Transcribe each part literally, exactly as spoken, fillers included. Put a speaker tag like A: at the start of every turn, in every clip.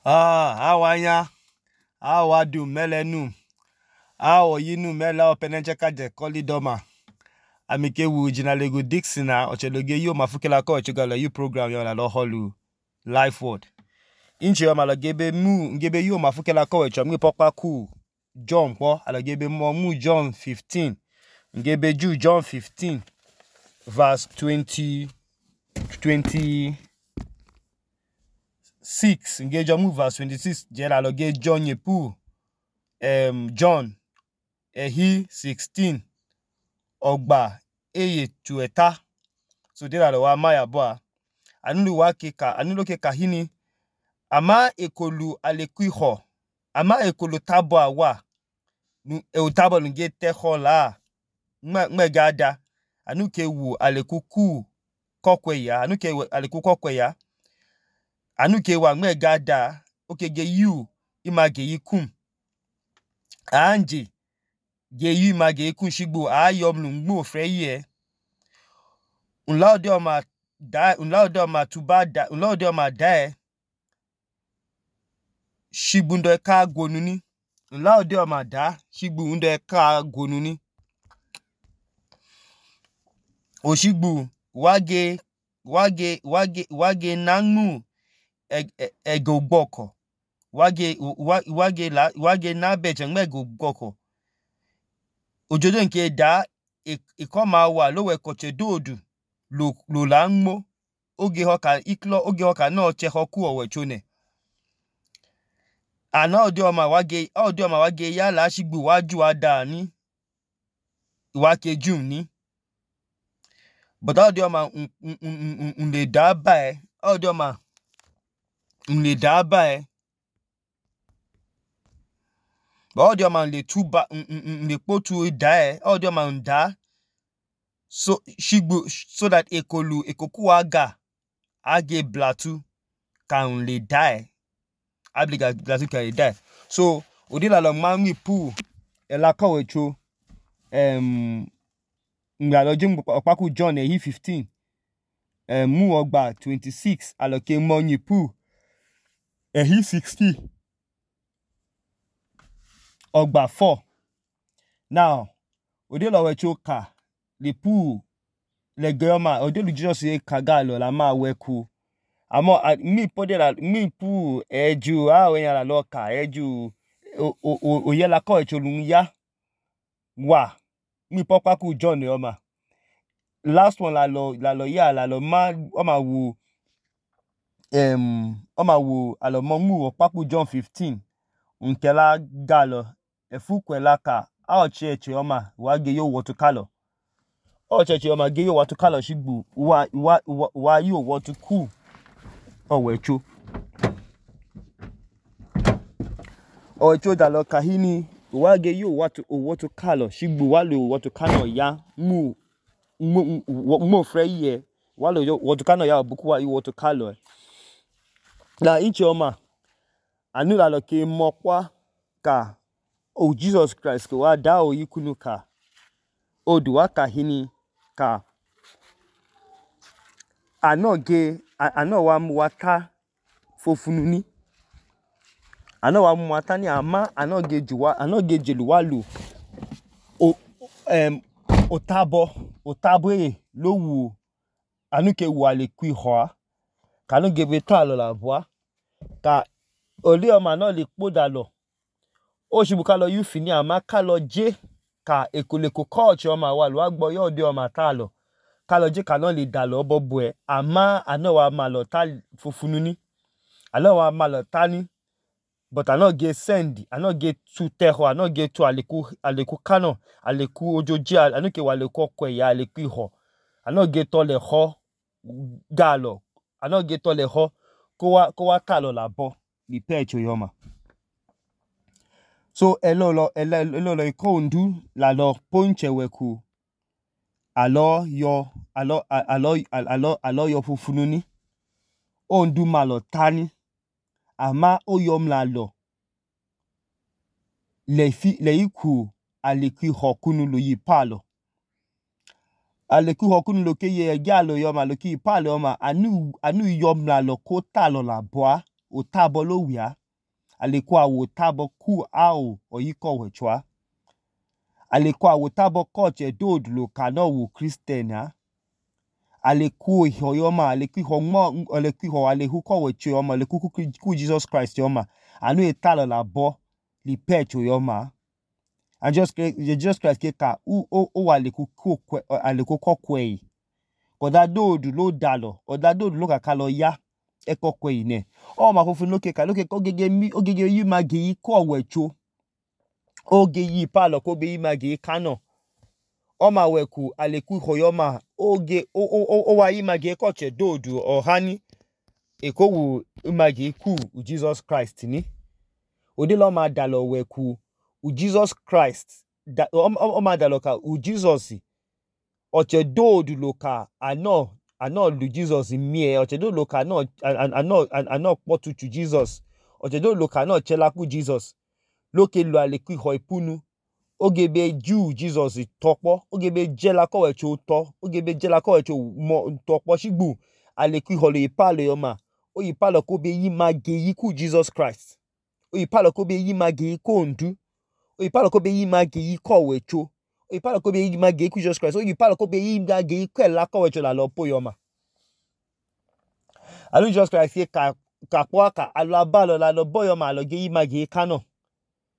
A: Ah, awanya, awadu melenu, awo yinu mela openenche kaje kolidoma. Amike wu jinalego Dixina, ocheloge yo mafukela ko ochogalo you program yo la lo holu life word. Inche yo malogebe mu ngebe yo mafukela ko echo mi pokpa ku John po alogebe mo mu John fifteen. Ngebe ju John fifteen verse twenty twenty six ngejo mu verse twenty-six jera loge John yepu um John ehi sixteen ogba eye tueta so dera lo wa maya boa anulu wa keka anulo keka hini ama ekolu alekuiho ama ekolu tabo awa nu e utabo nge teho la nme nme gada anuke wu alekuku kokwe ya anuke aleku kokwe ya anuke wa nme gada okege yu image yikum anje ge yu image yikun shigbo ayomlu ngbo freye unlaode oma da unlaode oma tubada unlaode oma da shigbundo eka gonuni unlaode oma da shigbu undo eka gonuni oshigbu wage wage wage wage nanmu ego gboko wage wage la wage na beje ngmego gboko ojojo nke da ikoma wa lowe koche dodu lo lo la nmo oge hoka iklo oge hoka no che hoku owechone ana odi oma wage odi oma wage ya la shigbu waju ada ni wa kejum ni but odi oma unle da ba e odi oma unle da ba e but odi oma unle tuba unle potu da e odi oma unda so shigbu so that ekolu ekoku aga age blatu ka unle da e abliga blatu ka da so odila lo manwi pu ela kowecho um ngalojin opaku John ehi fifteen um mu ogba twenty-six aloke monyi pu ehi sixteen ogba four now odila wecho ka le pu le goma odelu Jesus e kagalo la ma weku amo mi podela mi pu eju a we yan la ka eju o o o ye la ko echolun ya wa mi pokpa ku John e oma last one la lo la lo ya la lo ma o ma wo um o ma wo alo mo mu opaku John fifteen unkela galo efukwela ka a o cheche oma wa ge yo wotu kalo o cheche oma ge yo wotu kalo shigbu wa wa wa yo wotu ku owecho owecho dalo kahini wa ge yo wotu wotu kalo shigbu wa lo wotu kano ya mu mo mo freye wa lo wotu kano ya obuku wa yo wotu kalo la inche oma anu la lo ke mokwa ka o Jesus Christ ko wa da o yikunu ka o duwa kahini ka anoge ano wa mu wata fofununi ano wa mu wata ni ama anoge juwa anoge jeluwa lu o um otabo otabo e lo wu anuke wu ale ku ho ka no gebe ta lo la boa ka oli oma no le poda lo o shibuka lo yu fini ama ka lo je ka ekoleko coach oma wa lo agbo yo de oma ta lo ka lo je ka no le da lo bobo e ama ano wa ma lo ta fofununi ano wa ma lo ta ni but ano ge send ano ge tu teho ano ge tu aleku aleku kano aleku ojoji anuke wa le kokwe ya aleku iho ano ge to le ho galo ano ge to le ho ko wa ko wa ta lo la bo ni pecho yoma so elo lo elo elo lo ko ndu la lo ponche weku alo yo alo alo alo alo yo fufununi o ndu ma lo tani ama o yom la lo le fi le iku aleku hokunu lo yi palo aleku hokunu lo ke ye galo yoma lo ki palo yoma anu anu yom la lo ko ta lo la boa otabo lo wia aleku awo otabo ku ao oyiko wechwa aleku awo otabo koche dodu lo kano wo Christian a aleku iho yoma aleku iho mo aleku iho aleku ko wecho yoma aleku ku Jesus Christ yoma anu etalo labo li pecho yoma and just Jesus Christ keka u o o aleku ku aleku ko kwei koda dodu lo dalo oda dodu lo kaka lo ya eko kwei ne o ma fofun lo keka lo keka ogege mi ogege yi magi ko wecho oge yi palo ko be yi magi kano o ma weku aleku iho yoma oge o o o wa yi magi ko che dodu o hani eko wu magi ku Jesus Christ ni ode lo ma dalo weku u Jesus Christ da o, o, o ma dalo ka u Jesus oche dodu lo ka ano ano lu Jesus mie oche dodu lo ka ano ano ano potu chu Jesus oche dodu lo ka ano chela ku Jesus loke lu aleku iho ipunu oge be ju Jesus topo oge be jela ko wecho to oge be jela ko wecho mo topo shigbu aleku iho lo ipalo yoma o ipalo ko be yi magi yi ku Jesus Christ o ipalo ko be yi magi yi ko ndu o ipalo ko be yi magi yi ko wecho o ipalo ko be yi magi yi ku Jesus Christ o ipalo ko be yi magi yi ko la ko wecho la lo po yoma alu Jesus Christ ye ka ka po aka alo abalo la lo bo yoma lo ge yi magi yi kano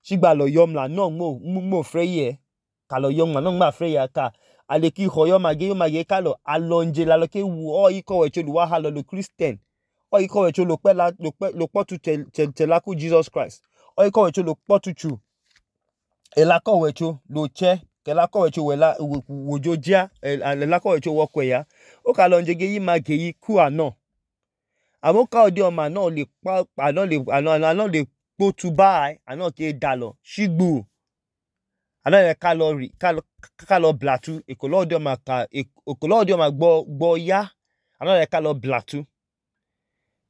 A: shigba lo yom la no mo mo freye ka lo yom la no ma freye ka aleku iho yoma ge yoma ge ka lo alonje la lo ke wu o iko wecho lu wa ha lo lo Christian o iko wecho lo pe la lo pe lo potu che che la ku Jesus Christ o iko wecho lo potu chu e la ko wecho lo che ke la ko wecho we la wojojia e la ko wecho wo kwe ya o ka lonje ge yi magi yi ku ano amo ka odi o ma no le pa ano le ano ano le potu bai ano ke dalo shigbu ano le calorie kalo kalo blatu ekolo odi o ma ka ekolo odi o ma gbo gbo ya ano le kalo blatu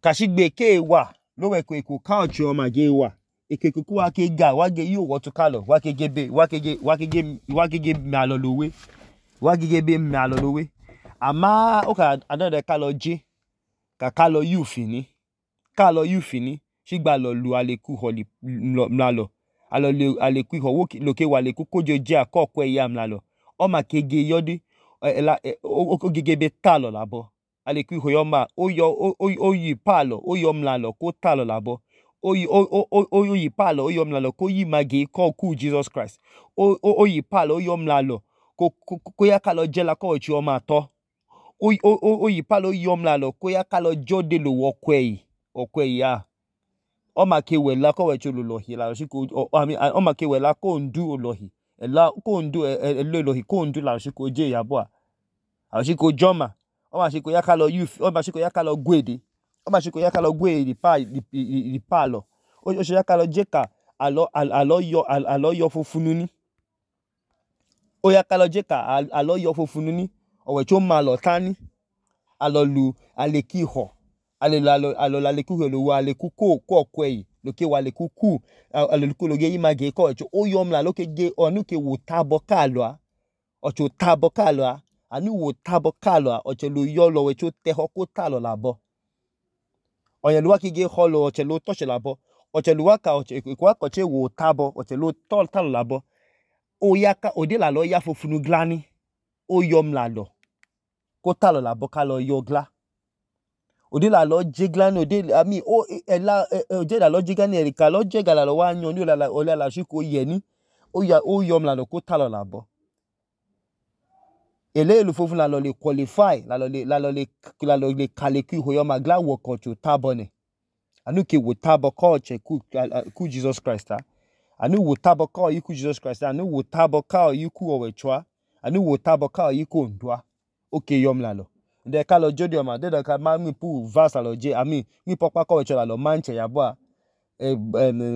A: ka shigbe ke wa lo we ko eko ka ochi o ma ge wa ekeko ku wa ke ga wa ge yu wo tu kalo wa ke gebe wa ke ge wa ke ge wa ke ge mi alo lowe wa ke ge be mi alo lowe ama o ka ano le kalo je ka kalo yu fini kalo yu fini shigba lo lu aleku ho li mlalo alo le aleku ho wo lo ke wa aleku kojo je akoko e ya mlalo o ma kege yodi o gege be talo labo aleku ho yoma o yo o yi palo o yo mlalo ko talo labo o yi o o o yi palo o yo mlalo ko yi magi ko ku Jesus Christ o o yi palo o yo mlalo ko ko ya kalo je la ko chi o ma to o o o yi palo yo mlalo ko ya kalo jode lo wo kwei o kwei ya o ma ke we la ko we chu lo lohi la shi ko o ma ke we la ko ndu lohi e la ko ndu e lo lohi ko ndu la shi ko je ya bo a shi ko joma o ma shi ko ya kalo youth o ma shi ko ya kalo gwede o ma shi ko ya kalo gwe di pa di palo o shi ya kalo je ka alo alo yo alo yo fofunu ni o ya kalo je ka alo yo fofunu ni o we chu ma lo tani alo lu aleki ho ale alo alo la leku lo wa leku ko ko kwei lo ke wa leku ku alo leku lo ge yi magi ko chu o yom la lo ke ge onu ke wo tabo kalo a o chu tabo kalo a anu wo tabo kalo a o che lo yo lo we chu te ho ko talo labo o ye lo wa ke ge ho lo o che lo to che labo o che lo wa ka o che ko wa ko che wo tabo o che lo to talo labo o ya ka o de la lo ya fofunu glani o yom la lo ko talo labo ka lo yo gla odi la lo jigla no de ami o e la o je la lo jigla ni erika lo je gala lo wa yan ni o la o la shi ko ye ni o ya o yom la lo ko talo labo ele lu fofun la lo le qualify la lo le la lo le la lo le kaleku ho yoma gla wo ko chu tabo ne anu ke wo tabo ko che ku ku Jesus Christ a anu wo tabo ko yi ku Jesus Christ anu wo tabo ka yi ku o we chwa anu wo tabo ka yi ku ndwa o ke yom la lo de ka lo jodi o ma de ka ma mi pu verse lo je ami mi popa ko we chwa la lo manche ya bo e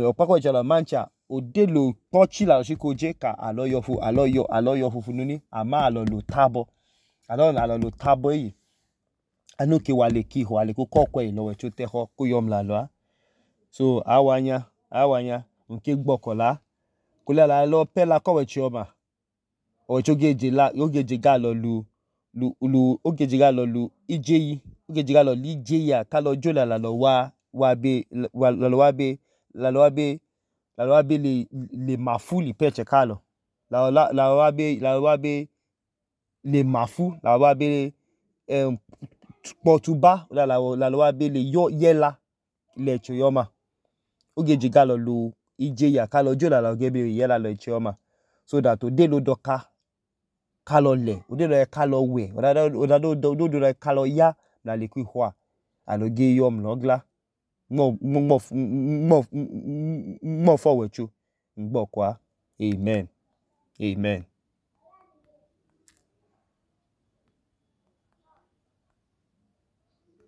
A: o pa ko we chwa la mancha o de lo pochi la shi ko je ka alo yo fu alo yo alo yo fufunu ni ama alo lo tabo alo alo lo tabo yi anu ke wa le ki ho ale ko ko kwe lo we chu te ho ku yom la lo so awanya awanya nke gbokola ko la la lo pe la ko we chi o ma o chu geje la o geje ga lo lu lu lu o geje ga lo lu ije yi o geje ga lo li je ya ka lo jo la la lo wa wabe lalọ wabe lalọ wabe lalọ wabe le le mafu l'ipuẹchẹ kalọ lalọ la lalọ wabe lalọ wabe le mafu lalọ wabe um kpọtuba lalọ lalọ wabe le yọ yẹla l'ẹchẹ ọma oge je galọ lo ijeya kalọ jo lalọ ge be yẹla l'ẹchẹ ọma so that odee dọka kalọ lẹ odee dọka kalọ wẹ ọda doduma kalọ ya mla l'ekwiho a alọ ge yọ mlọọ gla nmọọfu ọwọicho ngbọọkọ a amen amen